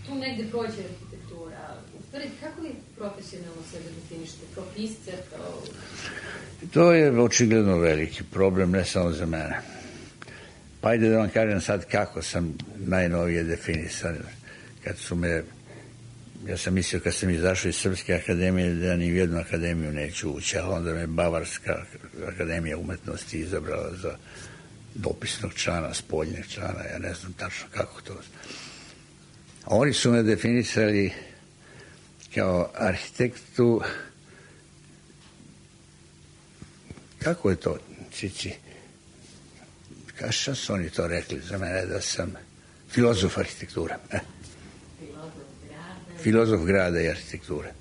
tu negde prođe arhitektura. U stvari, kako vi profesionalno sebe definišete? Kao pisce? Kao... To je očigledno veliki problem, ne samo za mene. Pa ajde da vam kažem sad kako sam najnovije definisan. Kad su me, ja sam mislio kad sam izašao iz Srpske akademije da ni u jednu akademiju neću ući, a onda me Bavarska akademija umetnosti izabrala za dopisnog člana, spoljnog člana, ja ne znam tačno kako to. Oni su me definisali kao arhitektu, kako je to, Cici? Kaša su oni to rekli za mene, da sam filozof arhitektura. Eh. Filozof grada i arhitekture.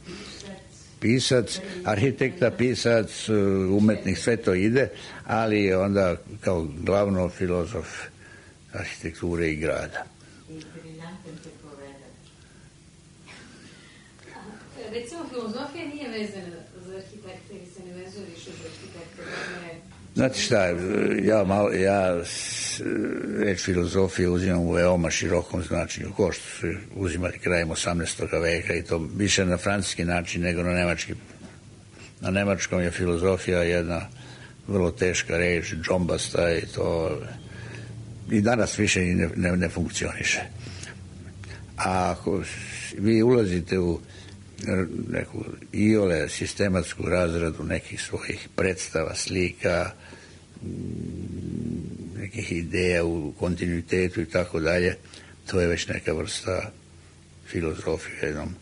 Pisac, arhitekta, pisac, umetnik, sve to ide, ali onda kao glavno filozof arhitekture i grada. Recimo, filozofija nije vezana za arhitekte ili se ne vezuje više za arhitekte. Znate šta, ja, malo, ja reč filozofije uzimam u veoma širokom značenju, ko što su uzimali krajem osamnaestog veka i to više na francuski način nego na nemački. Na nemačkom je filozofija jedna vrlo teška reč, džombasta i to i danas više ne, ne, ne funkcioniše. A ako vi ulazite u neku iole sistematsku razradu nekih svojih predstava, slika, nekih ideja u kontinuitetu i tako dalje, to je već neka vrsta filozofije u jednom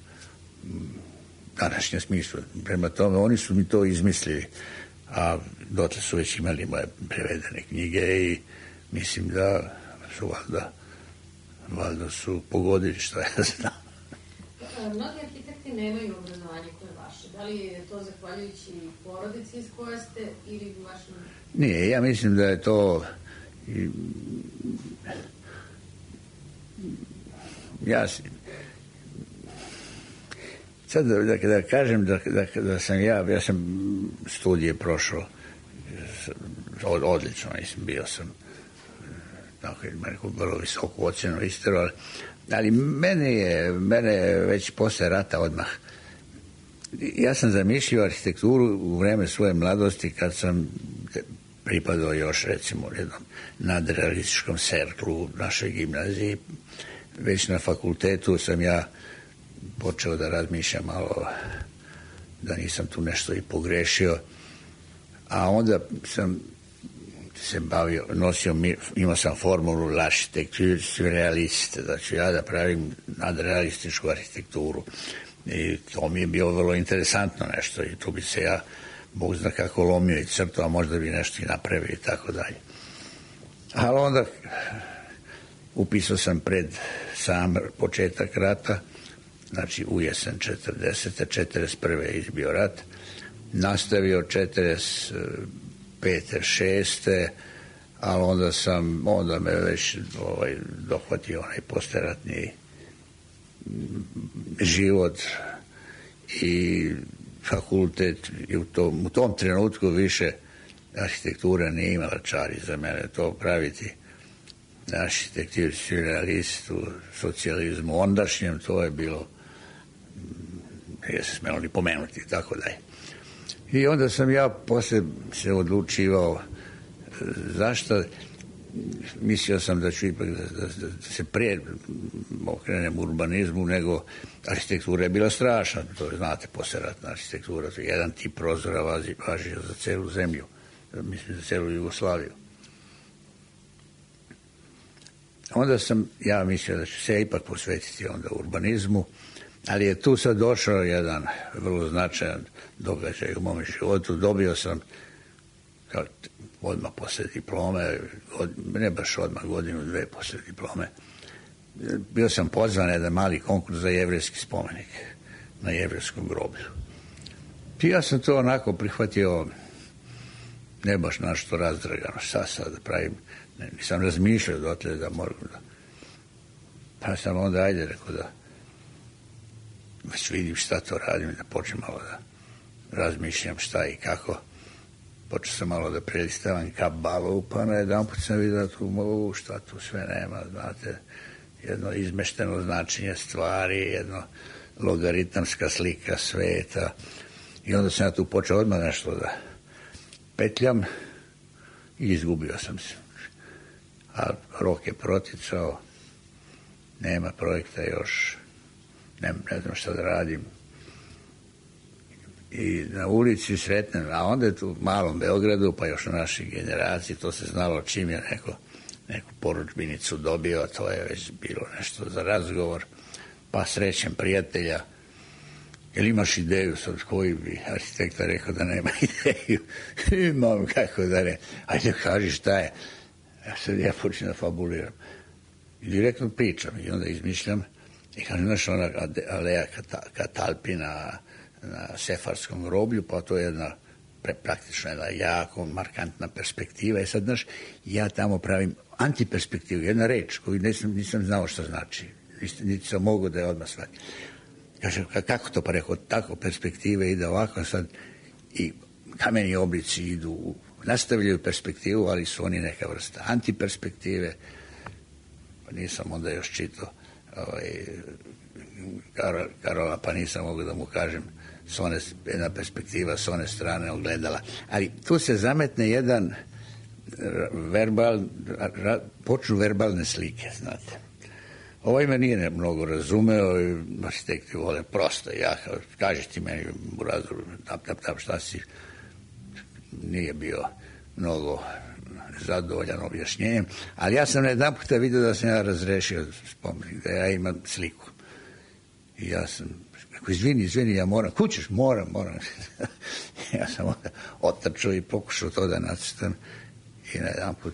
današnjem smislu. Prema tome, oni su mi to izmislili, a dotle su već imali moje prevedene knjige i mislim da su valjda, valjda su pogodili što ja znam. Mnogi arhitekti nemaju obrazovanje koje je vaše. Da li je to zahvaljujući porodici iz koje ste ili vašem... Nije, ja mislim da je to... Ja sad da, da, da kažem da, da, da sam ja, ja sam studije prošao od, odlično, mislim, bio sam tako je neku vrlo visoku ocjenu istero, ali, ali mene je, mene je već posle rata odmah. Ja sam zamišljao arhitekturu u vreme svoje mladosti kad sam pripadao još recimo jednom nadrealističkom serklu u našoj gimnaziji. Već na fakultetu sam ja počeo da razmišljam malo da nisam tu nešto i pogrešio, a onda sam se bavio, nosio, imao sam formulu l'architecture surrealiste, da ću ja da pravim nadrealističku arhitектuru i to mi je bilo vrlo interesantno nešto i tu bi se ja Bog zna kako lomio i crto, a možda bi nešto i napravio i tako dalje. Ali onda upisao sam pred sam početak rata, znači u jesen četrdesete, četrdeset prve je izbio rat, nastavio četrdeset pete, šeste, ali onda sam, onda me već ovaj, dohvatio onaj posteratni život i fakultet i u tom, u tom trenutku više arhitektura nije imala čari za mene to praviti. Arhitektur surrealist u socijalizmu ondašnjem, to je bilo, nije se smelo ni pomenuti, tako da je. I onda sam ja posle se odlučivao zašto. Mislio sam da ću ipak da, da, da se prije okrenem urbanizmu, nego arhitektura je bila strašna, to je, znate, posleratna arhitektura, to je jedan tip prozora važi, važi za celu zemlju, mislim za celu Jugoslaviju. Onda sam ja mislio da ću se ipak posvetiti onda urbanizmu, ali je tu sad došao jedan vrlo značajan događaj u mom životu. Dobio sam kao, odmah posle diplome, od, ne baš odmah, godinu, dve posle diplome, bio sam pozvan na jedan mali konkurs za jevrejski spomenik na jevrejskom groblju. I ja sam to onako prihvatio, ne baš našto razdragano, šta sad da pravim, ne, nisam razmišljao dotle da moram da... Pa sam onda, ajde, rekao da već vidim šta to radim, da počnem malo da razmišljam šta i kako. Počeo sam malo da prelistavam kabalu, pa na jedan put sam vidio tu, šta tu sve nema, znate, jedno izmešteno značenje stvari, jedno logaritamska slika sveta. I onda sam ja tu počeo odmah nešto da petljam i izgubio sam se. A rok je proticao, nema projekta još, ne, ne znam šta da radim. I na ulici sretnem, a onda je tu u malom Beogradu, pa još u našoj generaciji, to se znalo čim je neko, neku poručbinicu dobio, to je već bilo nešto za razgovor, pa srećem prijatelja, jel imaš ideju, sad koji bi arhitekta rekao da nema ideju, imam, kako da ne, ajde kaži šta je, ja sad ja počinem da fabuliram, i direktno pričam, i onda izmišljam, i kažem, znaš, ona aleja Katalpina na Sefarskom groblju, pa to je jedna pre, praktično jedna jako markantna perspektiva. I sad, znaš, ja tamo pravim antiperspektivu, jedna reč koju nisam, nisam znao šta znači. Niti sam mogao da je odmah shvatim. Kaže, kako to? Pa rekao, tako perspektive ide ovako sad i kameni oblici idu nastavljaju perspektivu, ali su oni neka vrsta antiperspektive. Pa nisam onda još čitao ovaj, Karola, pa nisam mogao da mu kažem s one, jedna perspektiva s one strane ogledala. Ali tu se zametne jedan verbal, počnu verbalne slike, znate. Ovaj me nije mnogo razumeo i arhitekti vole prosto. Ja, kažeš ti meni u razdoru, tap, tap, tap, šta si, nije bio mnogo zadovoljan objašnjenjem, ali ja sam na jedan puta vidio da sam ja razrešio spomenik, da ja imam sliku. I ja sam, ako izvini, izvini, ja moram, kućeš, moram, moram. Ja sam onda otačao i pokušao to da nacrtam i na jedan put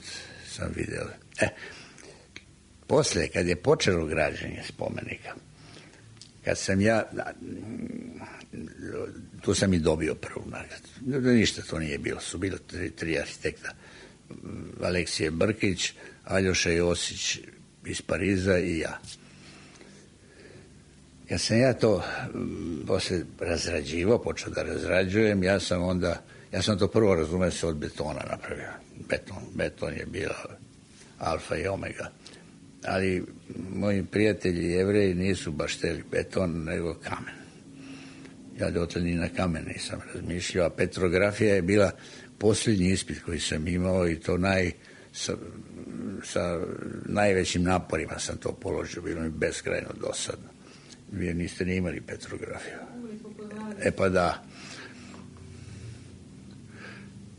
sam vidio. E, posle, kad je počelo građenje spomenika, kad sam ja, tu sam i dobio prvu nagradu. Ništa to nije bilo, su bilo tri, tri arhitekta. Aleksije Brkić, Aljoša Josić iz Pariza i ja. Kad sam ja to posle razrađivao, počeo da razrađujem, ja sam onda, ja sam to prvo razumio se od betona napravio. Beton, beton je bila alfa i omega. Ali moji prijatelji Jevreji nisu baš hteli beton, nego kamen. Ja dotle ni na kamen nisam razmišljao, a petrografija je bila posljednji ispit koji sam imao i to naj, sa, sa najvećim naporima sam to položio, bilo mi beskrajno dosadno. Vi niste ni imali petrografiju. E pa da.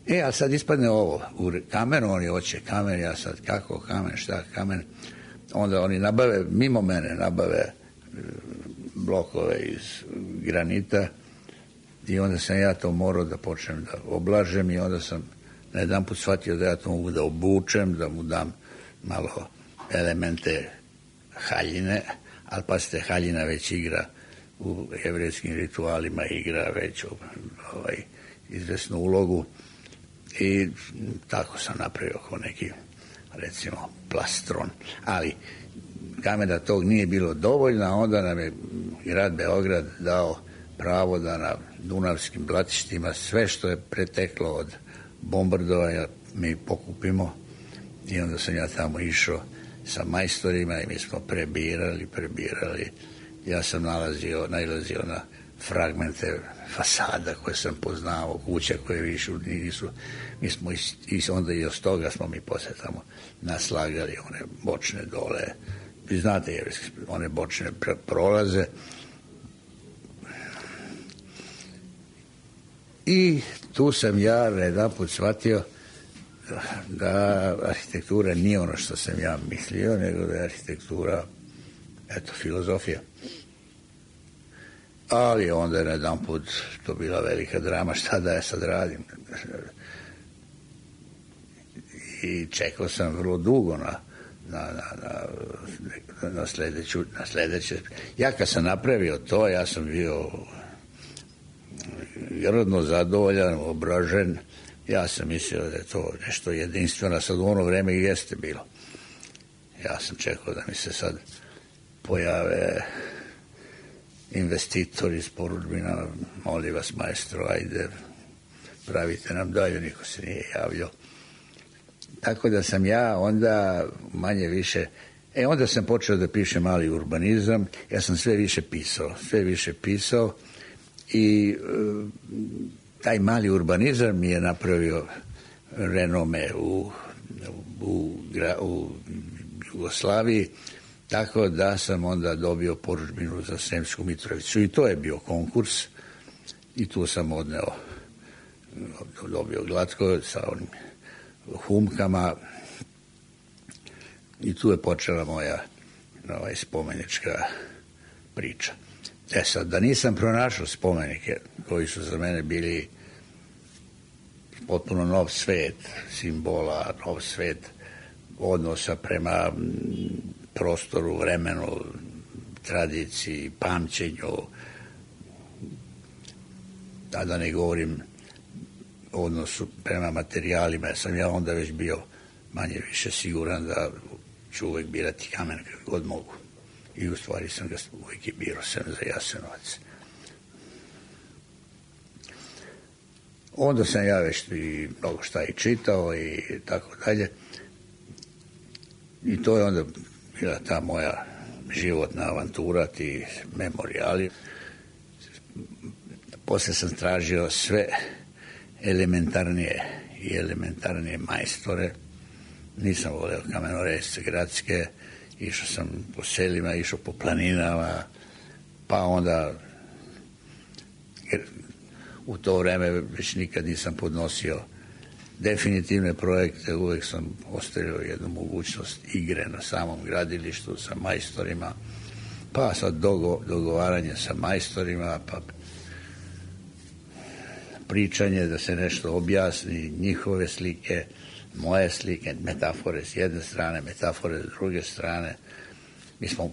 E, a sad ispadne ovo. U kamenu oni hoće kamen, ja sad kako kamen, šta kamen. Onda oni nabave, mimo mene nabave blokove iz granita i onda sam ja to morao da počnem da oblažem i onda sam na jedan put shvatio da ja to mogu da obučem, da mu dam malo elemente haljine, ali pazite, haljina već igra u jevrejskim ritualima, igra već ovaj, izvesnu ulogu i tako sam napravio kao neki, recimo, plastron. Ali kamena tog nije bilo dovoljno, onda nam je grad Beograd dao pravo da na dunavskim blatištima sve što je preteklo od bombardovanja mi pokupimo i onda sam ja tamo išao sa majstorima i mi smo prebirali, prebirali. Ja sam nalazio, nailazio na fragmente fasada koje sam poznao, kuća koje više nisu. Mi smo iz, iz, onda i od toga smo mi posle tamo naslagali one bočne dole. Vi znate, one bočne prolaze. I tu sam ja jedan put shvatio da arhitektura nije ono što sam ja mislio, nego da je arhitektura, eto, filozofija. Ali onda je na jedan put to bila velika drama, šta da ja sad radim. I čekao sam vrlo dugo na, na, na, na, na, sledeću, na sledeće. Ja kad sam napravio to, ja sam bio rodno zadovoljan, obražen. Ja sam mislio da je to nešto jedinstveno, sad u ono vreme i jeste bilo. Ja sam čekao da mi se sad pojave investitori iz porudžbina, molim vas maestro, ajde, pravite nam dalje, niko se nije javljao. Tako da sam ja onda manje više, e onda sam počeo da pišem mali urbanizam, ja sam sve više pisao, sve više pisao i e, taj mali urbanizam mi je napravio renome u, u, u Jugoslaviji, tako da sam onda dobio porudžbinu za Sremsku Mitrovicu i to je bio konkurs i tu sam odneo, dobio glatko sa onim humkama i tu je počela moja ovaj, spomenička priča. E sad, da nisam pronašao spomenike koji su za mene bili potpuno nov svet simbola, nov svet odnosa prema prostoru, vremenu, tradiciji, pamćenju, a da ne govorim o odnosu prema materijalima, jer sam ja onda već bio manje više siguran da ću uvek birati kamen kako god mogu. I u stvari sam ga uvijek i birao sam za Jasenovac. Onda sam ja već i mnogo šta i čitao i tako dalje. I to je onda bila ta moja životna avantura, ti memorijali. Poslije sam tražio sve elementarnije i elementarnije majstore. Nisam volio kamenoresce gradske, išao sam po selima, išao po planinama, pa onda jer u to vreme već nikad nisam podnosio definitivne projekte, uvijek sam ostavio jednu mogućnost igre na samom gradilištu sa majstorima, pa sad dogo, dogovaranje sa majstorima, pa pričanje da se nešto objasni, njihove slike, moje slike, metafore s jedne strane, metafore s druge strane. Mi smo,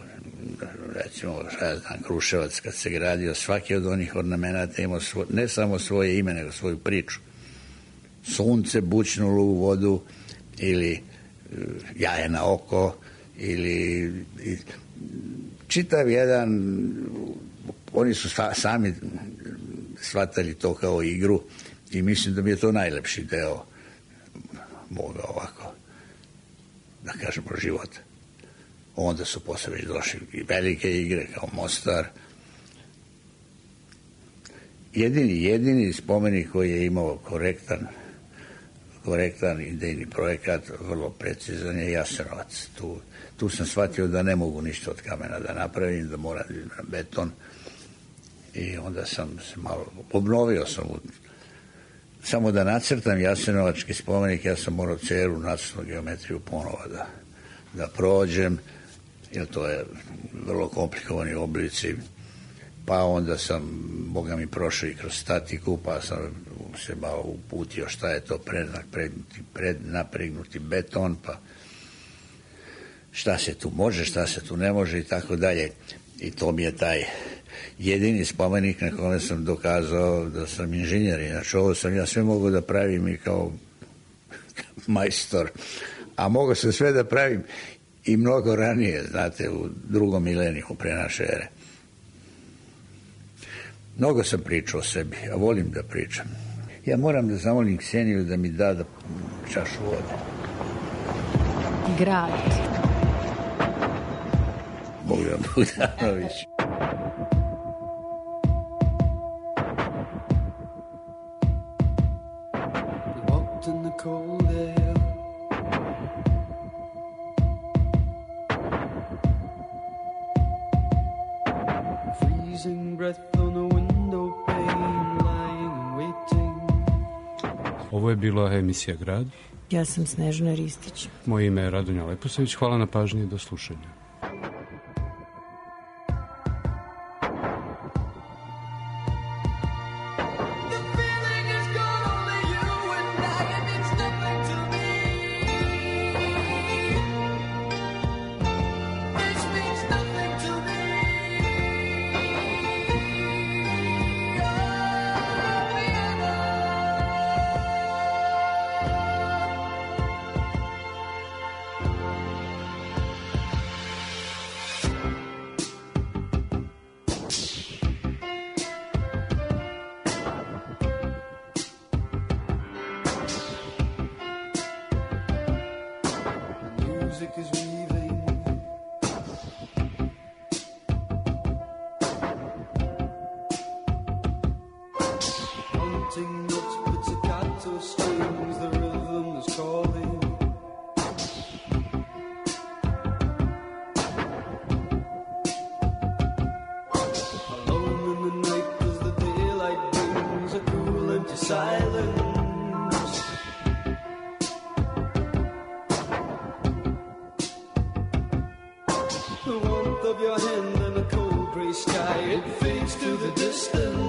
recimo, šta ja znam, Kruševac kad se gradio, svaki od onih ornamenata imao svo, ne samo svoje ime, nego svoju priču. Sunce bućnulo u vodu, ili jaje na oko, ili i, čitav jedan, oni su sta, sami shvatali to kao igru i mislim da mi je to najlepši deo moga ovako, da kažemo, života. Onda su posle već došli i velike igre kao Mostar. Jedini, jedini spomenik koji je imao korektan korektan idejni projekat, vrlo precizan, je Jasenovac. Tu, tu sam shvatio da ne mogu ništa od kamena da napravim, da moram na beton. I onda sam se malo obnovio sam u, samo da nacrtam Jasenovački spomenik, ja sam morao ceru nacrtnu geometriju ponova da, da prođem, jer to je vrlo komplikovani oblici. Pa onda sam, Boga mi, prošao i kroz statiku, pa sam se malo uputio šta je to prednapregnuti, prednapregnuti beton, pa šta se tu može, šta se tu ne može i tako dalje. I to mi je taj jedini spomenik na kome sam dokazao da sam inženjer. Inače, ovo sam ja sve mogao da pravim i kao majstor, a mogao sam sve da pravim i mnogo ranije, znate, u drugom milenijumu pre naše ere. Mnogo sam pričao o sebi, a volim da pričam. Ja moram da zamolim Kseniju da mi da, da čašu vode. Grad. Bogdan Bogdanović. Ovo je bila emisija Grad. Ja sam Snežana Ristić. Moje ime je Radonja Leposavić. Hvala na pažnji i do slušanja. The warmth of your hand and a cold gray sky, it fades to the distance.